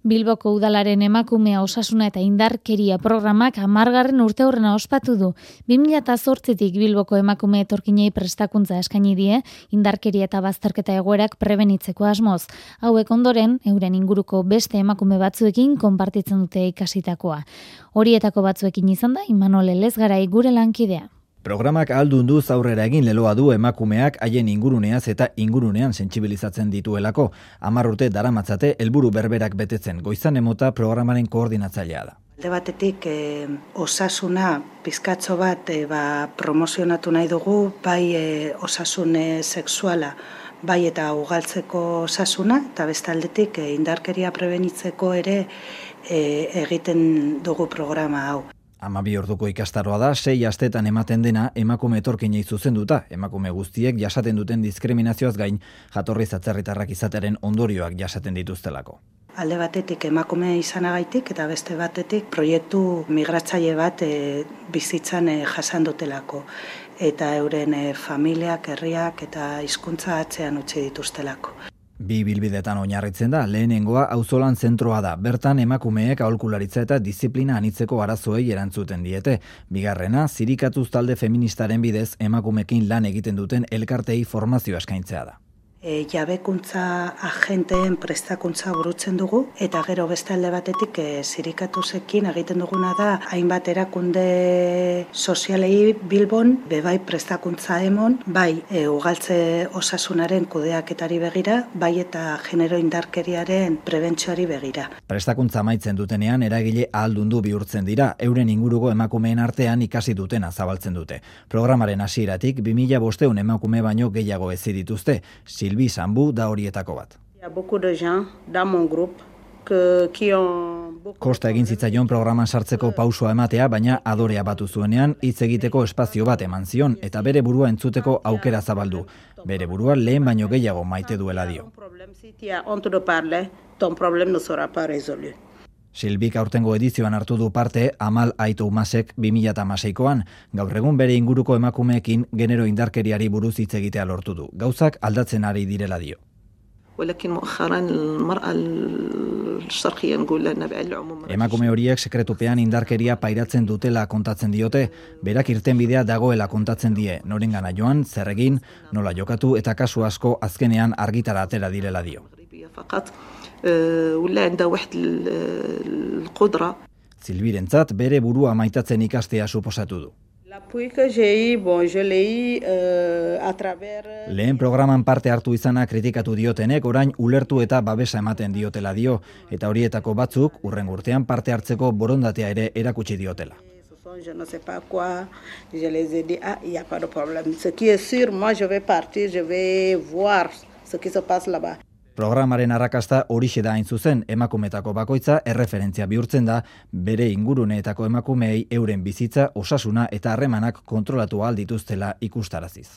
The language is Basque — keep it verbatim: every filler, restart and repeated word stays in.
Bilboko udalaren emakumea osasuna eta indarkeria programak hamargarren urteurrena ospatu du. bi mila zortzitik Bilboko emakume etorkinei prestakuntza eskaini die, indarkeria eta bazterketa egoerak prebenitzeko asmoz. Hauek ondoren, euren inguruko beste emakume batzuekin konpartitzen dute ikasitakoa. Horietako batzuekin izan da, Imanol Elezgarai gure lankidea. Programak ahaldunduz aurrera egin leloa du emakumeak haien inguruneaz eta ingurunean sentsibilizatzen dituelako. Hamar urte daramatzate helburu berberak betetzen. Goizan Emota programaren koordinatzailea da. Alde batetik eh, osasuna pizkatxo bat eh, ba, promozionatu nahi dugu, bai eh, osasun eh, sexuala, bai eta ugaltzeko osasuna, eta beste aldetik eh, indarkeria prebenitzeko ere eh, egiten dugu programa hau. Hamabi orduko ikastaroa da, sei astetan ematen dena emakume etorkinei zuzenduta, emakume guztiek jasaten duten diskriminazioaz gain, jatorriz atzerritarrak izatearen ondorioak jasaten dituztelako. Alde batetik emakume izanagaitik eta beste batetik proiektu migratzaile bat e, bizitzan e, jasan dutelako. Eta euren e, familiak, herriak eta hizkuntza atzean utzi dituztelako. Bi bilbidetan oinarritzen da, lehenengoa auzolan zentroa da. Bertan emakumeek aholkularitza eta diziplina anitzeko arazoei erantzuten diete. Bigarrena, zirikatuz talde feministaren bidez emakumekin lan egiten duten elkartei formazioa eskaintzea da. E, jabekuntza agenteen prestakuntza burutzen dugu, eta gero beste alde batetik e, zirikatuzekin egiten duguna da, hainbat erakunde sozialei Bilbon, bebai prestakuntza emon, bai e, ugaltze osasunaren kudeaketari begira, bai eta genero indarkeriaren prebentzioari begira. Prestakuntza amaitzen dutenean eragile ahaldundu bihurtzen dira, euren inguruko emakumeen artean ikasi dutena zabaltzen dute. Programaren hasieratik bi mila bostehun emakume baino gehiago hezi dituzte. Silbi Sambu da horietako bat. Kosta egin zitzaion programan sartzeko pausua ematea, baina adorea batu zuenean hitz egiteko espazio bat eman zion eta bere burua entzuteko aukera zabaldu. Bere burua lehen baino gehiago maite duela dio. Silbik aurtengo edizioan hartu du parte Amal Aitu Umasek bi mila hamaseikoan. Gaur egun bere inguruko emakumeekin genero indarkeriari buruz hitz egitea lortu du. Gauzak aldatzen ari direla dio. Emakume horiek sekretupean indarkeria pairatzen dutela kontatzen diote, berak irtenbidea dagoela kontatzen die, norengana joan, zer egin, nola jokatu eta kasu asko azkenean argitara atera direla dio. Silbirentzat bere burua maitatzen ikastea suposatu du. Lehen programan parte hartu izana kritikatu diotenek orain ulertu eta babesa ematen diotela dio, eta horietako batzuk urren urtean parte hartzeko borondatea ere erakutsi diotela. Je ne sais pas quoi, je les ai dit, ah, il n'y a pas de problème. Ce qui est sûr, moi je vais partir, je vais voir ce qui se passe là-bas. Programaren arrakasta horixe da hain zuzen, emakumetako bakoitza erreferentzia bihurtzen da, bere inguruneetako emakumeei euren bizitza, osasuna eta harremanak kontrolatu ahal dituztela ikustaraziz.